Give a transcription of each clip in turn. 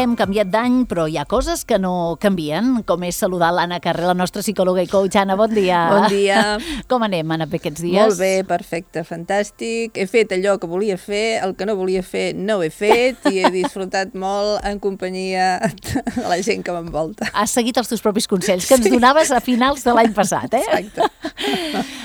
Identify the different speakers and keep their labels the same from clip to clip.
Speaker 1: hem canviat d'any, però hi ha coses que no canvien, com és saludar l'Anna Carré, la nostra psicòloga i coach. Anna, bon dia.
Speaker 2: Bon dia.
Speaker 1: Com anem, Anna, per aquests dies?
Speaker 2: Molt bé, perfecte, fantàstic. He fet allò que volia fer, el que no volia fer no ho he fet i he disfrutat molt en companyia de la gent que m'envolta.
Speaker 1: Has seguit els teus propis consells, que ens donaves a finals de l'any passat, eh?
Speaker 2: Exacte.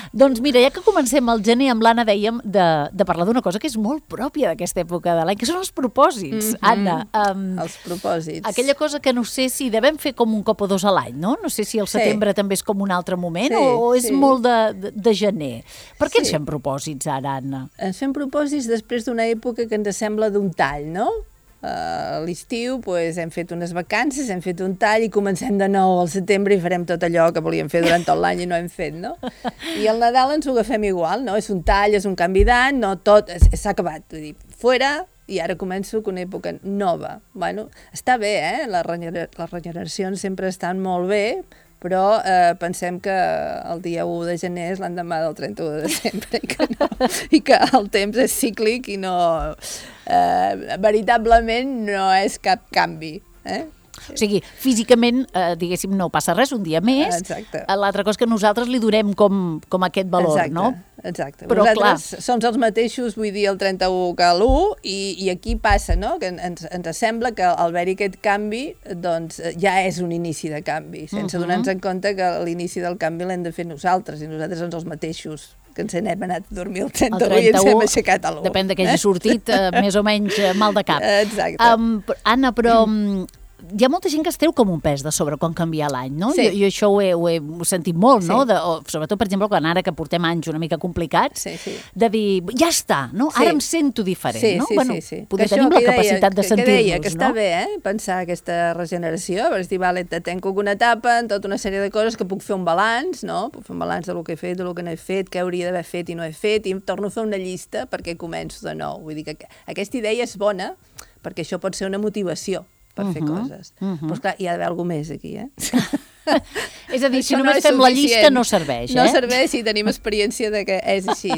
Speaker 1: Doncs mira, ja que comencem el gener, amb l'Anna dèiem de parlar d'una cosa que és molt pròpia d'aquesta època de l'any, que són els propòsits, Anna.
Speaker 2: Els propòsits.
Speaker 1: Aquella cosa que no sé si devem fer com un cop o dos a l'any, no? No sé si el setembre també és com un altre moment o és molt de gener. Per què ens fem propòsits ara, Anna?
Speaker 2: Ens fem propòsits després d'una època que ens sembla d'un tall, no? A l'estiu hem fet unes vacances, hem fet un tall i comencem de nou al setembre i farem tot allò que volíem fer durant tot l'any i no hem fet, no? I al Nadal ens ho agafem igual, no? És un tall, és un canvi d'any, no tot, s'ha acabat, vull dir, fora, i ara començo una època nova. Bueno, està bé, les regeneracions sempre estan molt bé, però pensem que el dia 1 de gener és l'endemà del 31 de desembre i que el temps és cíclic i no... veritablement no és cap canvi,
Speaker 1: O sigui, físicament, diguéssim, no passa res, un dia més.
Speaker 2: Exacte.
Speaker 1: L'altra cosa és que nosaltres li donem com aquest valor, no?
Speaker 2: Exacte.
Speaker 1: Però,
Speaker 2: nosaltres som els mateixos, vull dir, el 31 que l'1, i aquí passa, no?, que ens sembla que al haver-hi aquest canvi, doncs, ja és un inici de canvi, sense donar-nos en compte que l'inici del canvi l'hem de fer nosaltres, i nosaltres som els mateixos que ens n'hem anat a dormir el 31 i ens hem aixecat a l'1.
Speaker 1: Depèn que hagi sortit més o menys mal de cap.
Speaker 2: Exacte.
Speaker 1: Anna, però hi ha molta gent que es treu com un pes de sobre quan canvia l'any, no?
Speaker 2: Sí.
Speaker 1: Jo això ho he sentit molt, no? Sobretot, per exemple, quan ara que portem anys una mica complicats, de dir, ja està, no? Ara em sento diferent, no?
Speaker 2: Sí.
Speaker 1: Poder tenim la capacitat de sentir-nos, no?
Speaker 2: Que deia que està bé, pensar aquesta regeneració, per dir, vale, tenco una etapa, en tota una sèrie de coses que puc fer un balanç, no? Puc fer un balanç del que he fet, del que no he fet, què hauria d'haver fet i no he fet, i em torno a fer una llista perquè començo de nou. Vull dir que aquesta idea és bona, perquè això pot ser una motivació per fer coses. Però, esclar, hi ha d'haver alguna més aquí,
Speaker 1: És a dir, si només fem la llista no serveix,
Speaker 2: No serveix si tenim experiència de que és així.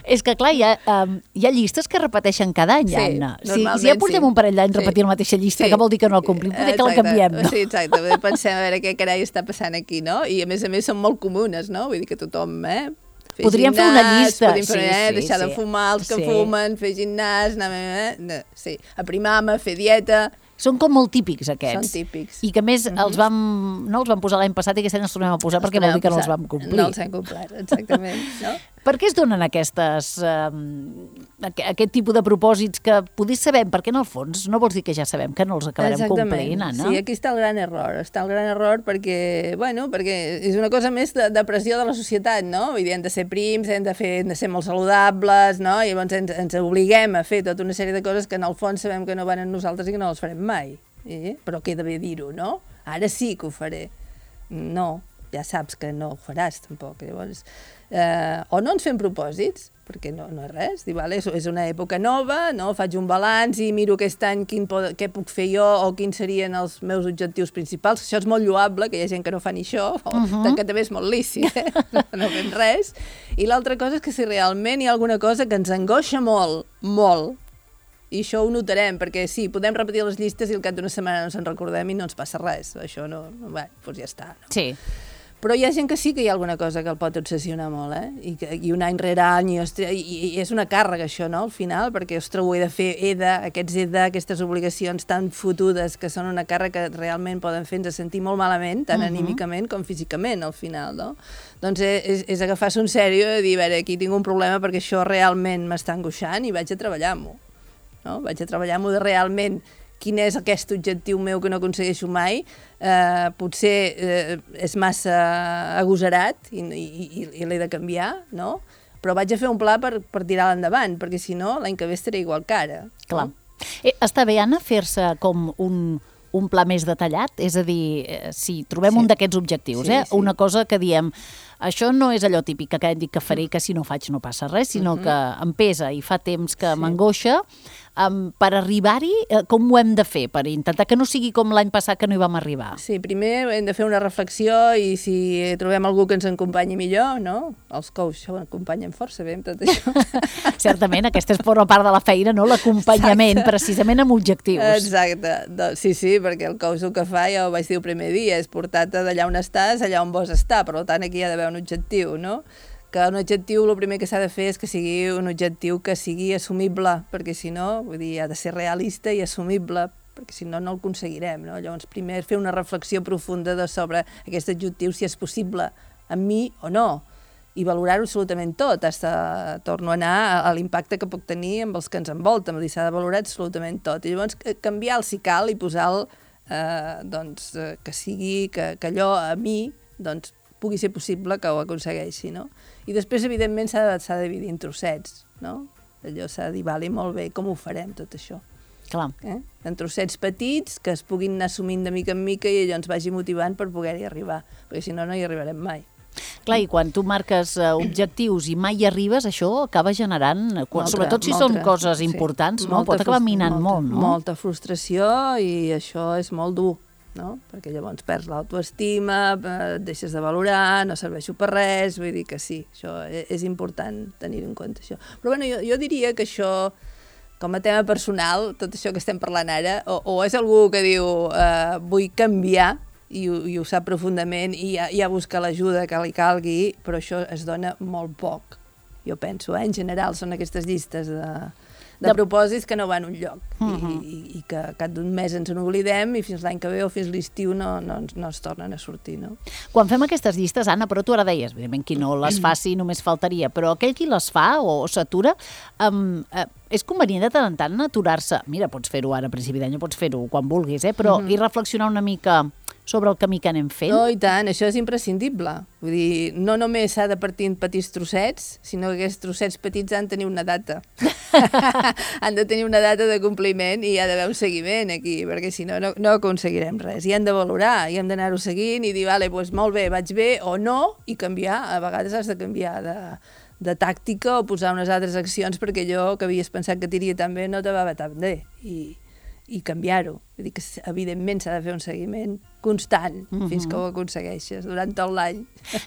Speaker 1: És que, clar, hi ha llistes que repeteixen cada any, Anna. Si ja portem un parell d'anys repetint la mateixa llista, que vol dir que no la complim, potser que la canviem, no?
Speaker 2: Sí, exacte. Pensem a veure què carai està passant aquí, no? I a més són molt comunes, no? Vull dir que tothom,
Speaker 1: podríem fer una llista.
Speaker 2: Podríem fer, deixar de fumar els que fumen, fer gimnàs, aprimar-me, fer dieta.
Speaker 1: Són com molt típics, aquests.
Speaker 2: Són típics.
Speaker 1: I que, a més, no els vam posar l'any passat i aquest any els tornem a posar perquè vol dir que no els vam complir.
Speaker 2: No els hem complert, exactament. No?
Speaker 1: Per què es donen aquest tipus de propòsits que potser sabem, perquè en el fons no vols dir que ja sabem que no els acabarem complint, Anna?
Speaker 2: Sí, aquí està el gran error. Està el gran error perquè és una cosa més de pressió de la societat, no? Vull dir, hem de ser prims, hem de ser molt saludables, no? I llavors ens obliguem a fer tota una sèrie de coses que en el fons sabem que no van en nosaltres i que no les farem mai. Però queda bé dir-ho, no? Ara sí que ho faré. No, ja saps que no ho faràs, tampoc. Llavors, o no ens fem propòsits, perquè no és res, és una època nova, no? Faig un balanç i miro aquest any què puc fer jo o quins serien els meus objectius principals. Això és molt lloable, que hi ha gent que no fa ni això, que també és molt lícit, no fem res. I l'altra cosa és que si realment hi ha alguna cosa que ens angoixa molt, molt, i això ho notarem, perquè sí, podem repetir les llistes i al cap d'una setmana no se'n recordem i no ens passa res. Això doncs ja està. No? Sí. Però hi ha gent que sí que hi ha alguna cosa que el pot obsessionar molt, I un any rere any, i és una càrrega això, no?, al final, perquè, ostres, ho he de fer, aquestes obligacions tan fotudes que són una càrrega que realment poden fer-nos sentir molt malament, tant anímicament com físicament, al final, no? Doncs és agafar-se en sèrio i dir, a veure, aquí tinc un problema perquè això realment m'està angoixant i vaig a treballar-m'ho. No? Vaig a treballar-m'ho de realment quin és aquest objectiu meu que no aconsegueixo mai, potser és massa agosarat i l'he de canviar, no? Però vaig a fer un pla per tirar-lo endavant, perquè si no, l'any que ve estaré igual que ara.
Speaker 1: Clar. Està bé, Anna, fer-se com un pla més detallat? És a dir, si trobem un d'aquests objectius, una cosa que diem, això no és allò típic que hem dit que faré, que si no faig no passa res, sinó que em pesa i fa temps que m'angoixa, Per arribar-hi, com ho hem de fer? Per intentar que no sigui com l'any passat que no hi vam arribar.
Speaker 2: Sí, primer hem de fer una reflexió i si trobem algú que ens acompanyi millor, no? Els coaches acompanyen força bé amb tot això.
Speaker 1: Certament, aquesta forma part de la feina, no? L'acompanyament, precisament amb objectius.
Speaker 2: Exacte. Sí, perquè el coach el que fa, ja ho vaig dir el primer dia, és portar-te d'allà on estàs, allà on vols estar. Per tant, aquí hi ha d'haver un objectiu, no? Que un objectiu, el primer que s'ha de fer és que sigui un objectiu que sigui assumible, perquè si no, vull dir, ha de ser realista i assumible, perquè si no, no el aconseguirem, no? Llavors, primer fer una reflexió profunda sobre aquest objectiu, si és possible amb mi o no, i valorar-ho absolutament tot, torno a anar a l'impacte que puc tenir amb els que ens envolten, vull dir, s'ha de valorar absolutament tot, i llavors canviar-lo si cal i posar-lo, doncs, que sigui, que allò a mi, doncs, pugui ser possible que ho aconsegueixi, no? I després, evidentment, s'ha de dividir en trossets, no? Allò s'ha de dir, vale, molt bé, com ho farem, tot això?
Speaker 1: Clar.
Speaker 2: En trossets petits que es puguin anar assumint de mica en mica i allò ens vagi motivant per poder-hi arribar, perquè si no, no hi arribarem mai.
Speaker 1: Clar, i quan tu marques objectius i mai hi arribes, això acaba generant, sobretot si són coses importants, no? Pot acabar minant molt, no?
Speaker 2: Molta frustració i això és molt dur, no? Perquè llavors perds l'autoestima, et deixes de valorar, no serveixo per res, vull dir que sí, això és important tenir en compte això. Però bueno, jo diria que això, com a tema personal, tot això que estem parlant ara, o és algú que diu vull canviar i ho sap profundament i ja busca l'ajuda que li calgui, però això es dona molt poc, jo penso, en general són aquestes llistes de propòsits que no van a un lloc i que cap d'un mes ens n'oblidem i fins l'any que ve o fins l'estiu no es tornen a sortir, no?
Speaker 1: Quan fem aquestes llistes, Anna, però tu ara deies, evidentment, qui no les faci només faltaria, però aquell qui les fa o s'atura, és convenient de tant en tant aturar-se. Mira, pots fer-ho ara a principi d'any, pots fer-ho quan vulguis, però i reflexionar una mica sobre el camí que anem fent?
Speaker 2: No, i tant, això és imprescindible. Vull dir, no només s'ha de partir en petits trossets, sinó que aquests trossets petits han de tenir una data. Han de tenir una data de compliment i hi ha d'haver un seguiment aquí, perquè si no, no aconseguirem res. I hem de valorar, i hem d'anar-ho seguint i dir, vale, doncs molt bé, vaig bé o no, i canviar. A vegades has de canviar de tàctica o posar unes altres accions perquè allò que havies pensat que t'iria tan bé no te va tan bé. I canviar-ho. Vull dir que, evidentment, s'ha de fer un seguiment constant fins que ho aconsegueixes durant tot l'any.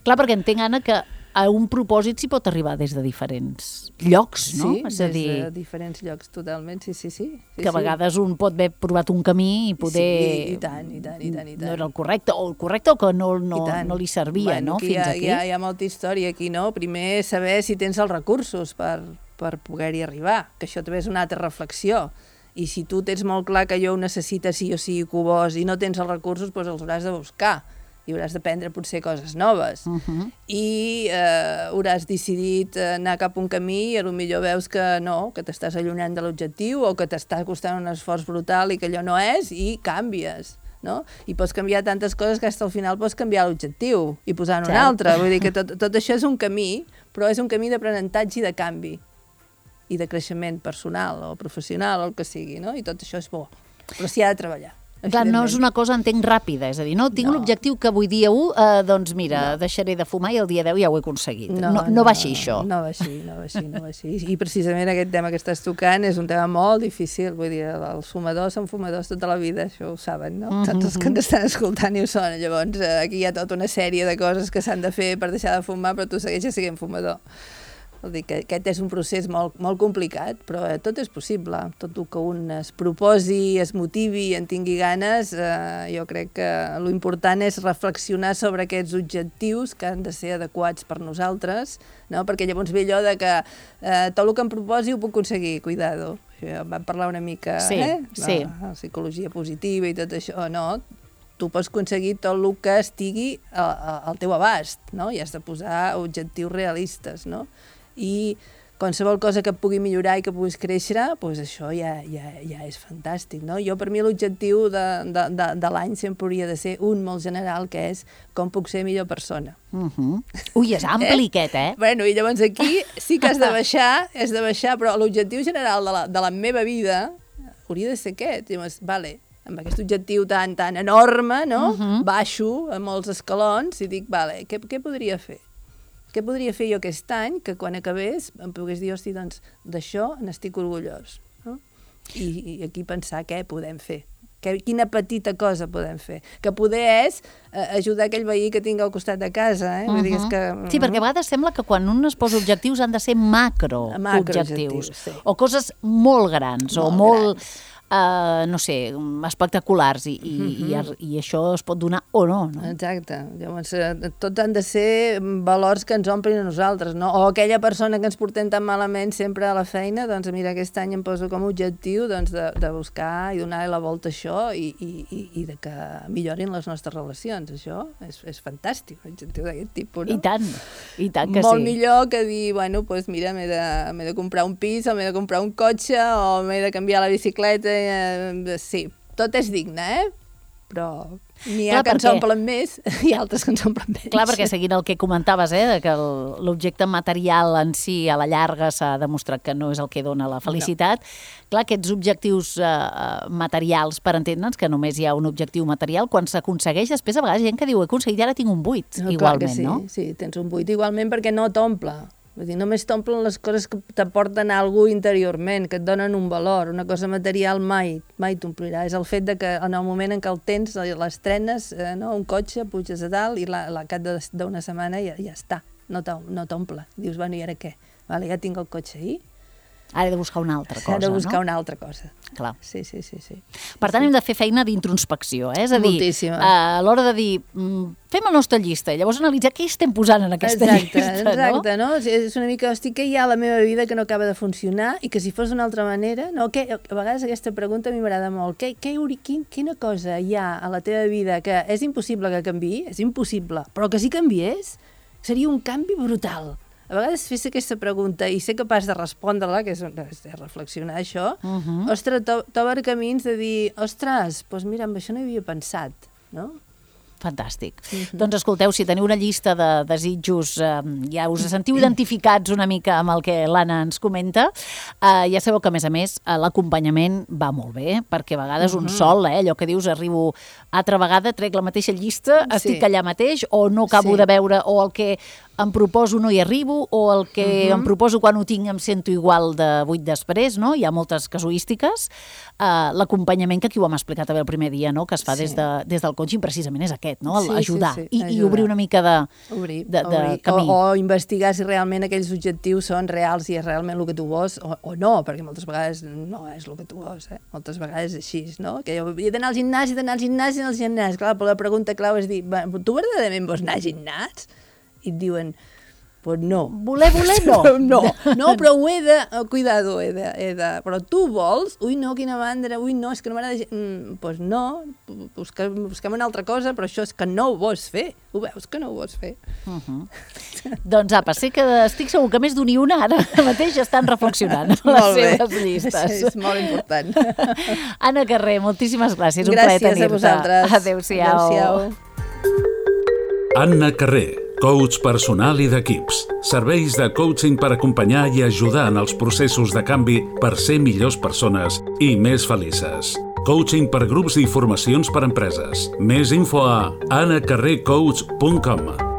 Speaker 1: Clar, perquè entenc, Anna, que a un propòsit s'hi pot arribar des de diferents llocs, no?
Speaker 2: Sí, des de diferents llocs, totalment, sí.
Speaker 1: Que a vegades un pot haver provat un camí i poder...
Speaker 2: Sí, i tant.
Speaker 1: No era el correcte, o que no li servia, no? Fins aquí.
Speaker 2: Hi ha molta història aquí, no? Primer, saber si tens els recursos per poder-hi arribar, que això també és una altra reflexió. I si tu tens molt clar que allò ho necessites sí o sí que ho vols i no tens els recursos, doncs els hauràs de buscar i hauràs d'aprendre potser coses noves. I hauràs decidit anar cap a un camí i potser veus que no, que t'estàs allunyant de l'objectiu o que t'està costant un esforç brutal i que allò no és i canvies. No? I pots canviar tantes coses que fins al final pots canviar l'objectiu i posar-ne un altre. Vull dir que tot això és un camí, però és un camí d'aprenentatge i de canvi i de creixement personal o professional o el que sigui, no? I tot això és bo, però s'hi ha de treballar.
Speaker 1: Clar, no és una cosa, entenc, ràpida, és a dir, no, tinc l'objectiu que avui dia 1, doncs mira, deixaré de fumar i el dia 10 ja ho he aconseguit. No va així, això.
Speaker 2: No va així. I precisament aquest tema que estàs tocant és un tema molt difícil, vull dir, els fumadors són fumadors tota la vida, això ho saben, no? Tots els que ens estan escoltant i ho són, llavors aquí hi ha tota una sèrie de coses que s'han de fer per deixar de fumar, però tu segueixes sent fumador. Vol dir que aquest és un procés molt complicat, però tot és possible. Tot el que un es proposi, es motivi i en tingui ganes, jo crec que l'important és reflexionar sobre aquests objectius que han de ser adequats per nosaltres, no? Perquè llavors ve allò de que tot el que em proposi ho puc aconseguir, cuidado. Vam parlar una mica de psicologia positiva i tot això, no? Tu pots aconseguir tot el que estigui al teu abast, no? I has de posar objectius realistes, no? I qualsevol cosa que et pugui millorar i que puguis créixer, doncs això ja és fantàstic, no? Jo, per mi, l'objectiu de l'any sempre hauria de ser un molt general, que és com puc ser millor persona.
Speaker 1: Ui, és ampli aquest,
Speaker 2: Bueno, i llavors aquí sí que has de baixar, però l'objectiu general de la meva vida hauria de ser aquest. Llavors, vale, amb aquest objectiu tan enorme, no? Baixo a molts escalons i dic, vale, què podria fer? Què podria fer jo aquest any que quan acabés em pogués dir, hosti, doncs d'això n'estic orgullós, no? I aquí pensar què podem fer. Quina petita cosa podem fer. Que poder és ajudar aquell veí que tinc al costat de casa. Vull dir, és que...
Speaker 1: Sí, perquè a vegades sembla que quan un es posa objectius han de ser macroobjectius.
Speaker 2: Sí.
Speaker 1: O coses molt grans, o molt no sé, espectaculars, i això es pot donar o no, no?
Speaker 2: Exacte. Llavors, tots han de ser valors que ens omplin a nosaltres, no? O aquella persona que ens portem tan malament sempre a la feina, doncs mira, aquest any em poso com a objectiu doncs, de buscar i donar la volta a això i de que millorin les nostres relacions. Això és fantàstic, l'objectiu d'aquest tipus, no?
Speaker 1: I tant que sí.
Speaker 2: Molt millor que dir, bueno, doncs mira, m'he de comprar un pis, o m'he de comprar un cotxe, o m'he de canviar la bicicleta. Sí, tot és digne, però n'hi ha que ens omplen més i altres que ens omplen menys.
Speaker 1: Clar, perquè seguint el que comentaves, que l'objecte material en si a la llarga s'ha demostrat que no és el que dona la felicitat, clar, aquests objectius materials, per entendre'ns que només hi ha un objectiu material, quan s'aconsegueix, després a vegades hi ha gent que diu he aconseguit, ara tinc un buit, igualment, no?
Speaker 2: Sí, tens un buit igualment perquè no t'omple. Vull dir, només t'omplen les coses que t'aporten alguna cosa interiorment, que et donen un valor. Una cosa material mai t'omplirà. És el fet de que en el moment en què el tens, l'estrenes, un cotxe, puges a dalt i al cap d'una setmana ja està. No t'omple. Dius, bueno, i ara què? Vale, ja tinc el cotxe ahir.
Speaker 1: Ara he de buscar una altra cosa, no?
Speaker 2: He de buscar una altra cosa.
Speaker 1: Clar.
Speaker 2: Sí.
Speaker 1: Per tant, hem de fer feina d'introspecció, És a dir,
Speaker 2: moltíssima.
Speaker 1: A l'hora de dir, fem la nostra llista i llavors analitzar què estem posant en aquesta llista, no?
Speaker 2: Exacte, no? És una mica, hosti, què hi ha a la meva vida que no acaba de funcionar i que si fos d'una altra manera, no? A vegades aquesta pregunta a mi m'agrada molt. Quina cosa hi ha a la teva vida que és impossible que canviï? És impossible, però que si canviés seria un canvi brutal. A vegades fes aquesta pregunta i ser capaç de respondre-la, que és reflexionar això, ostres, t'obre camins de dir, ostres, doncs mira, amb això no hi havia pensat, no?
Speaker 1: Fantàstic. Doncs escolteu, si teniu una llista de desitjos, ja us sentiu identificats una mica amb el que l'Anna ens comenta, ja sabeu que, a més, l'acompanyament va molt bé, perquè a vegades un sol, allò que dius, arribo altra vegada, trec la mateixa llista, estic allà mateix, o no acabo de veure, o el que em proposo no hi arribo, o el que em proposo quan ho tinc em sento igual de 8 després, no? Hi ha moltes casuístiques. L'acompanyament, que aquí ho hem explicat també el primer dia, no? Que es fa des del coaching, precisament és aquest, no? Ajudar i obrir una mica de camí.
Speaker 2: O investigar si realment aquells objectius són reals i és realment el que tu vols, o no, perquè moltes vegades no és el que tu vols, moltes vegades és així, no? Que jo he d'anar al gimnàs, clar, però la pregunta clau és dir, tu verdaderament vols anar al gimnàs? I et diuen, pues no.
Speaker 1: Voler, no.
Speaker 2: No, però ho he de... Cuidado, he de... Però tu vols? Ui, no, quina mandra, ui, no, és que no m'agrada... Pues no, busquem una altra cosa, però això és que no ho vols fer. Ho veus que no ho vols fer.
Speaker 1: Doncs apa, sé que estic segur que més d'un i una ara mateix estan reflexionant les seves llistes.
Speaker 2: És molt important.
Speaker 1: Anna Carré, moltíssimes gràcies. Un plaer tenir-te.
Speaker 2: Gràcies a vosaltres.
Speaker 1: Adéu-siau.
Speaker 3: Anna Carré, coach personal i d'equips. Serveis de coaching per acompanyar i ajudar en els processos de canvi per ser millors persones i més felices. Coaching per grups i formacions per empreses. Més info a anacarrecoach.com.